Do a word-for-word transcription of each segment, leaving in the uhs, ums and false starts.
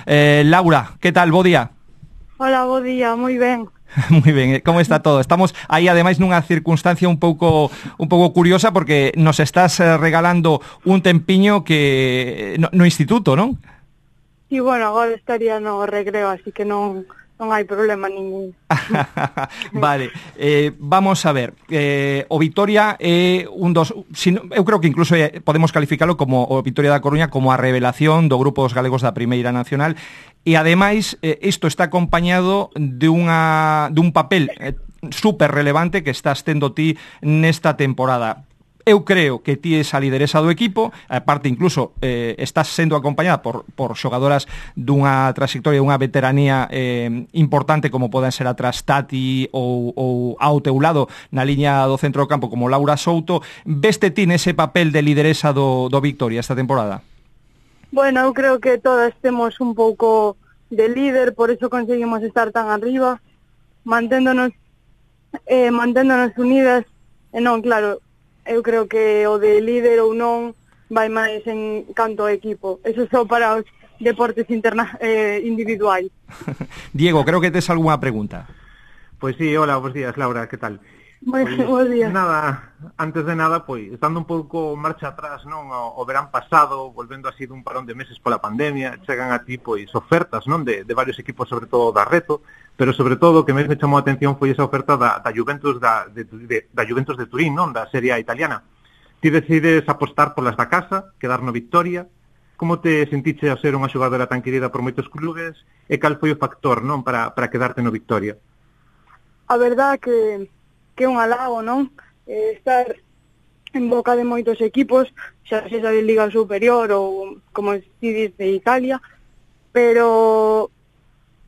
Eh, Laura, que tal? Bo día. Hola, bo día, moi ben. Moi ben, como está todo? Estamos aí ademais nunha circunstancia un pouco un pouco curiosa porque nos estás regalando un tempiño que no, no instituto, non? Sí, bueno, agora estaría no recreo, así que non non hai problema ningún. Vale, eh, vamos a ver, eh, o Vitoria é un dos, sino, eu creo que incluso podemos calificalo como o Vitoria da Coruña como a revelación do grupo dos galegos da Primeira Nacional, e ademais eh, isto está acompañado de unha dun papel eh, super relevante que estás tendo ti nesta temporada. Eu creo que ti es a lideresa do equipo, aparte incluso eh, estás sendo acompañada por, por xogadoras dunha trayectoria, dunha veteranía eh, importante como poden ser a Trastati ou, ou ao teu lado na liña do centro do campo como Laura Souto. Veste ti nese papel de lideresa do, do Victoria esta temporada? Bueno, eu creo que todas temos un pouco de líder, por eso conseguimos estar tan arriba, manténdonos, eh, manténdonos unidas, e non, claro, eu creo que o de líder ou non vai máis en canto ao equipo. Eso só para os deportes interna eh, individuais. Diego, creo que tes algunha pregunta. Pois sí, hola, bons días, Laura, que tal? Moi Pois, bons días. Nada, antes de nada, pois, estando un pouco marcha atrás, non, o, o verán pasado, volvendo así dun parón de meses pola pandemia, chegan a ti, pois, ofertas, non, de, de varios equipos, sobre todo da Reto, pero sobre todo o que máis me chamou a atención foi esa oferta da, da Juventus da, de, de, da Juventus de Turín, non, da Serie A italiana. Ti decides apostar polas da casa, quedar no Victoria. Como te sentiche ao ser unha xogadora tan querida por moitos clubes e cal foi o factor, non, para, para quedarte no Victoria? A verdad que que é un halago, non? Eh, estar en boca de moitos equipos, xa sexa de Liga Superior ou, como si diz, de Italia, pero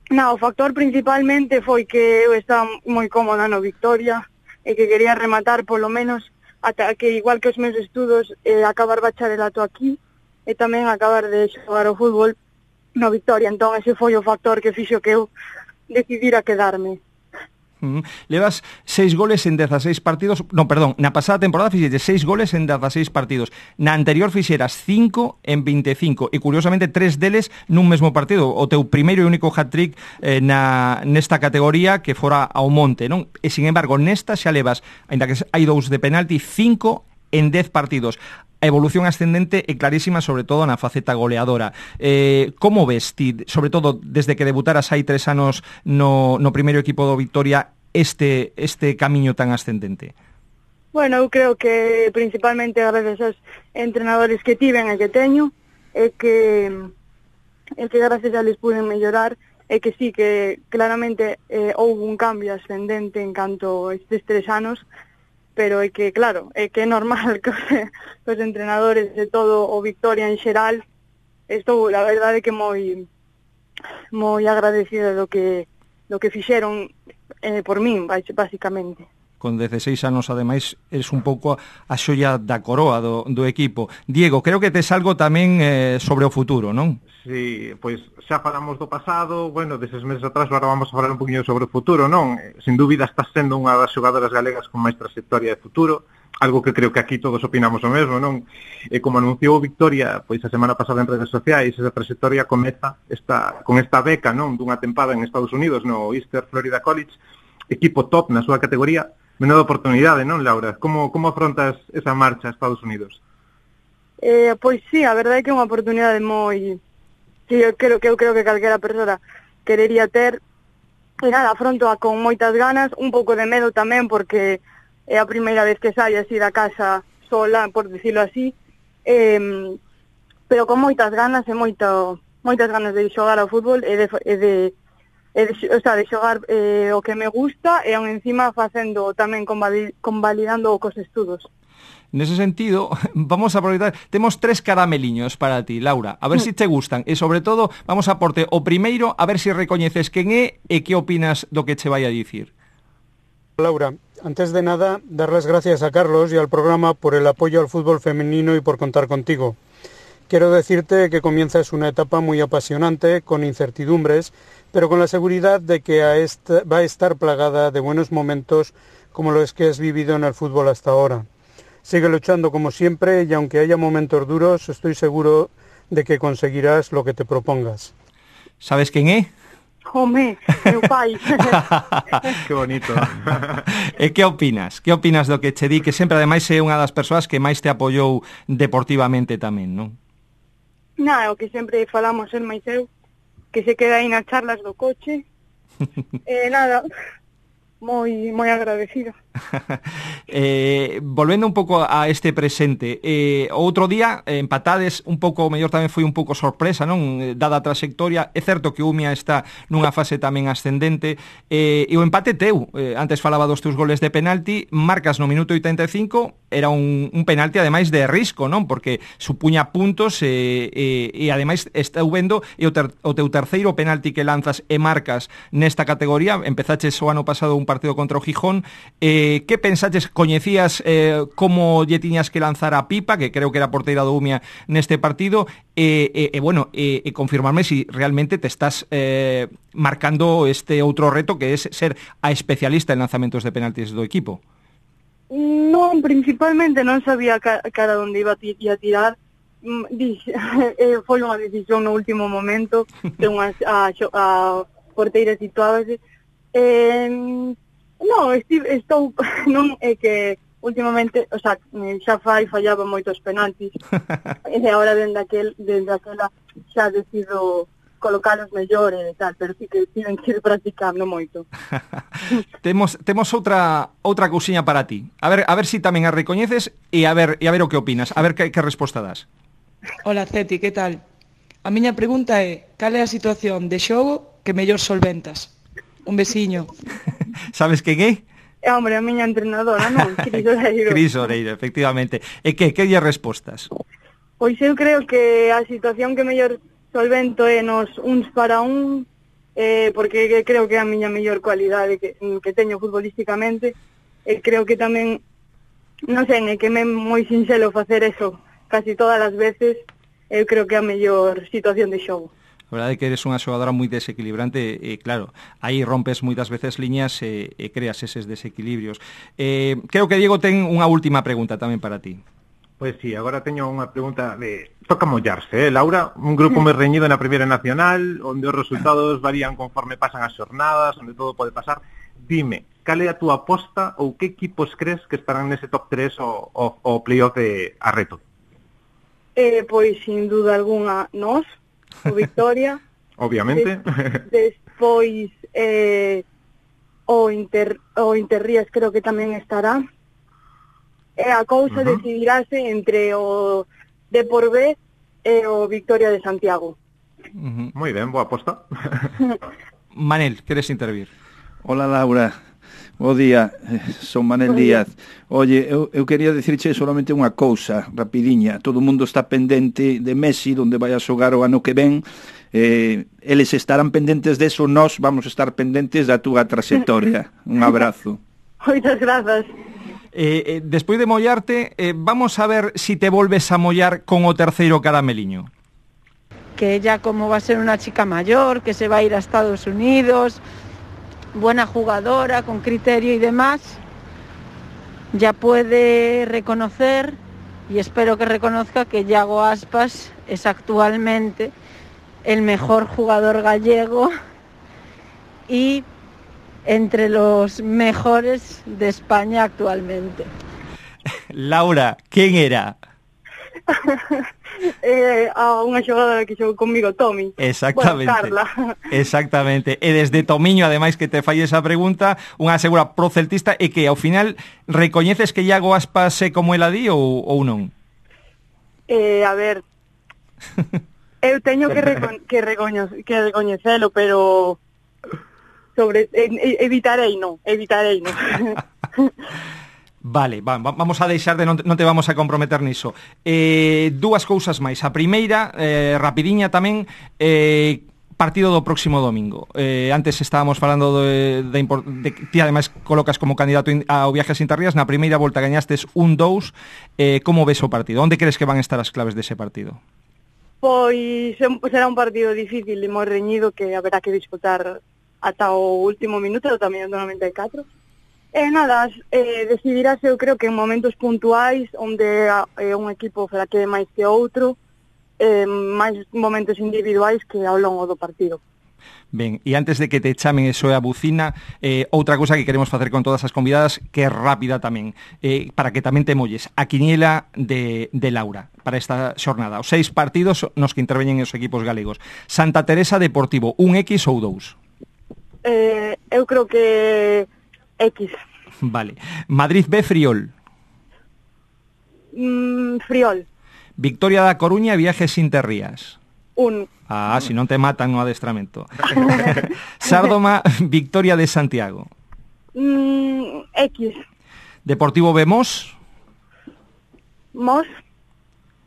na, o factor principalmente foi que eu estaba moi cómoda no Victoria e que quería rematar polo menos ata que, igual que os meus estudos, eh, acabar bacharelato aquí e tamén acabar de xogar o fútbol no Victoria. Entón ese foi o factor que fixo que eu decidira quedarme. Mm. Levas seis goles en dezaseis partidos, non, perdón, na pasada temporada fixetes seis goles en dezaseis partidos. Na anterior fixeras cinco en vinte e cinco e curiosamente tres deles nun mesmo partido. O teu primeiro e único hat-trick eh, na nesta categoría que fora ao monte, non? E sin embargo, nesta xa levas, aínda que hai dous de penalti, cinco en dez partidos. A evolución ascendente é clarísima, sobre todo na faceta goleadora. Eh, como ves ti, sobre todo desde que debutaras hai tres anos no, no primeiro equipo do Victoria, este, este camiño tan ascendente? Bueno, eu creo que principalmente gracias aos entrenadores que tiven e que teño, é que, é que gracias a les puden mellorar, é que sí, que claramente eh, houve un cambio ascendente en canto a estes tres anos, pero é que, claro, é que é normal que os, os entrenadores de todo o Victoria en xeral, estou, la verdade, que moi moi agradecida do que do que fixeron eh, por min, basicamente. Con dezaseis anos, ademais, es un pouco a xoia da coroa do, do equipo. Diego, creo que tes algo tamén eh, sobre o futuro, non? Sí, pois xa falamos do pasado, bueno, deses meses atrás, agora vamos a falar un poquinho sobre o futuro, non? Sin dúbida estás sendo unha das xogadoras galegas con máis trayectoria de futuro, algo que creo que aquí todos opinamos o mesmo, non? E como anunciou Victoria, pois a semana pasada en redes sociais, esa trayectoria comeza esta, con esta beca, non? Dunha tempada en Estados Unidos, no Eastern Florida College, equipo top na súa categoría. Menuda oportunidade, non, Laura? Como, como afrontas esa marcha a Estados Unidos? Eh, pois sí, a verdade é que é unha oportunidade moi... Sí, eu creo que eu creo que calquera persoa querería ter. E nada, afrontoa con moitas ganas, un pouco de medo tamén, porque é a primeira vez que saio así da casa sola, por decirlo así. Eh, pero con moitas ganas e moito, moitas ganas de xogar ao fútbol e de... E de E de, o sea, de xogar eh, o que me gusta e aún encima facendo tamén convalidando cos estudos. Nese sentido, vamos a aproveitar, temos tres carameliños para ti, Laura, a ver mm. se si te gustan, e sobre todo, vamos a porte o primeiro, a ver se si recoñeces quen é e que opinas do que che vai a dicir. Laura, antes de nada, dar las gracias a Carlos y al programa por el apoyo al fútbol femenino y por contar contigo. Quiero decirte que comienzas una etapa muy apasionante, con incertidumbres, pero con la seguridad de que a esta, va a estar plagada de buenos momentos como los que has vivido en el fútbol hasta ahora. Sigue luchando como siempre y aunque haya momentos duros, estoy seguro de que conseguirás lo que te propongas. Sabes quen é? Home, meu pai. Que bonito. E que opinas? Que opinas do que che di, que sempre ademais é unha das persoas que máis te apoiou deportivamente tamén, non? Na, o que sempre falamos el máis eu, que se queda aí nas charlas do coche. E eh, nada, moi moi agradecido. eh, volvendo un pouco a este presente, eh, outro día eh, empatades un pouco, o mellor tamén foi un pouco sorpresa, non? Eh, dada a trayectoria, é certo que o Umia está nunha fase tamén ascendente, eh, e o empate teu, eh, antes falaba dos teus goles de penalti, marcas no minuto oitenta e cinco, era un, un penalti ademais de risco, non? Porque supuña puntos e, e, e ademais estou vendo e o, ter, o teu terceiro penalti que lanzas e marcas nesta categoría, empezaches o ano pasado un partido contra o Gijón. Eh, que pensaches, coñecías eh, como lle tiñas que lanzar a Pipa, que creo que era porteira do Umia neste partido, e, e, e bueno, e, e confirmarme si realmente te estás eh, marcando este outro reto que é ser a especialista en lanzamentos de penaltis do equipo? Non, principalmente non sabía ca, cara onde iba a tirar. Dixe, eh, foi unha decisión no último momento de unha a, a porteira situábase. Eh, non, estive, estou non é que últimamente, o sea, xa fai fallaba moitos penaltis. E agora dende aquel, dende aquela xa decido colocalos mellor e tal, pero sí que tiven que ir practicando moito. temos temos outra outra cousiña para ti. A ver, a ver si tamén a recoñeces e a ver e a ver o que opinas, a ver que, que resposta das. Hola, Ceti, que tal? A miña pregunta é, cal é a situación de xogo que mellor solventas? Un besiño. Sabes quen é? É, hombre, a miña entrenadora, non? Cris Oreiro. Cris Oreiro, efectivamente. E que, que lle respostas? Pois eu creo que a situación que mellor solvento é nos uns para un, eh, porque creo que é a miña mellor cualidade que, que teño futbolísticamente, e creo que tamén, non sei, é que me é moi sinxelo facer eso casi todas as veces, eu creo que é a mellor situación de xogo. A verdade é que eres unha xogadora moi desequilibrante e, claro, aí rompes moitas veces liñas e, e creas eses desequilibrios. Eh, creo que Diego ten unha última pregunta tamén para ti. Pois sí, agora teño unha pregunta de... Toca mollarse, eh, Laura? Un grupo moi reñido na Primeira Nacional, onde os resultados varían conforme pasan as xornadas, onde todo pode pasar. Dime, cal é a túa aposta ou que equipos crees que estarán nese top tres o, o, o playoff de Arreto? Eh, pois, sin duda alguna, nós, o Victoria. Obviamente. Des, despois, eh, o, Inter, o Interrías creo que tamén estará. E a cousa uh-huh. decidirase entre o Depor B e o Victoria de Santiago. Uh-huh. Moi ben, boa aposta. Manel, queres intervir? Hola, Laura. Bo día, son Manel Díaz. Oye, eu, eu quería dicirche solamente unha cousa rapidiña. Todo o mundo está pendente de Messi, onde vai a xogar o ano que ven. Eh, eles estarán pendentes deso, nós vamos estar pendentes da túa trayectoria. Un abrazo. Moitas grazas. Eh, eh, despois de mollarte, eh, vamos a ver si te volves a mollar con o terceiro carameliño. Que ella, como va a ser una chica mayor, que se va a ir a Estados Unidos, buena jugadora, con criterio y demás, ya puede reconocer, y espero que reconozca, que Yago Aspas es actualmente el mejor jugador gallego y entre los mejores de España actualmente. Laura, ¿quién era? eh, a unha xogadora que xogou comigo, Tomi. Exactamente. Bueno, Carla. Exactamente. E desde Tomiño, ademais, que te fai esa pregunta, unha segura proceltista, e que ao final recoñeces que Iago Aspas é como ela di ou, ou non? Eh, a ver, eu teño que, recon que, recoño que recoñecelo, pero sobre eh, evitarei, non, evitarei, non. Vale, va, vamos a deixar de non te, non te vamos a comprometer niso. Eh, dúas cousas máis. A primeira, eh, rapidiña tamén, eh, partido do próximo domingo. Eh, antes estábamos falando de, de, de ti ademais colocas como candidato ao Viajes Interrías. Na primeira volta gañastes un dous. Eh, como ves o partido? Onde crees que van estar as claves dese partido? Pois será un partido difícil e moi reñido que haberá que disputar ata o último minuto, tamén do noventa e catro. E nada, eh, decidirase, eu creo que en momentos puntuais onde é un equipo fraquee máis que outro, eh, máis momentos individuais que ao longo do partido. Ben, e antes de que te chamen eso é a bucina, eh, outra cousa que queremos facer con todas as convidadas, que é rápida tamén, eh, para que tamén te molles, a quiniela de, de Laura para esta xornada. Os seis partidos nos que interveñen os equipos galegos. Santa Teresa Deportivo, un X ou dous? Eh, eu creo que X. Vale. Madrid B Friol. Mm, Friol. Victoria da Coruña, Viajes Interrías. Un. Ah, si non te matan no adestramento. Sárdoma, Victoria de Santiago. Mm, X. Deportivo B Mos. Mos.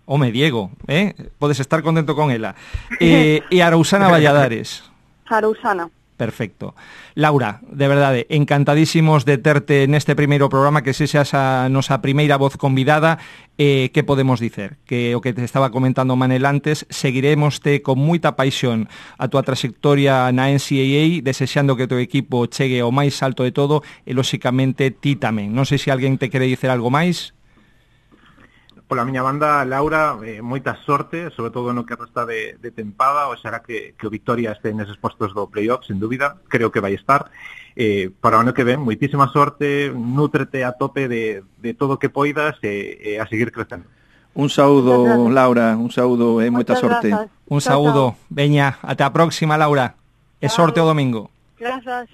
Home, Diego, eh? Podes estar contento con ela. Eh, e Arausana Valladares. Arausana. Perfecto. Laura, de verdade, encantadísimos de terte neste primeiro programa, que se seas a nosa primeira voz convidada. Eh, que podemos dicer? Que o que te estaba comentando Manel antes, seguiremoste con moita paixón a túa trayectoria na N C A A, desexando que o teu equipo chegue ao máis alto de todo, e lóxicamente ti tamén. Non sei se alguén te quere dicer algo máis. Pola miña banda, Laura, eh, moita sorte, sobre todo no que resta de, de tempada, oxalá que, que o Victoria este neses postos do playoff, sen dúbida, creo que vai estar. Eh, para o ano que ven, moitísima sorte, nútrete a tope de, de todo o que poidas e, e a seguir crecendo. Un saúdo, Laura, un saúdo e moita sorte. Un saúdo, veña, ata a próxima, Laura, e sorte o domingo. Grazas.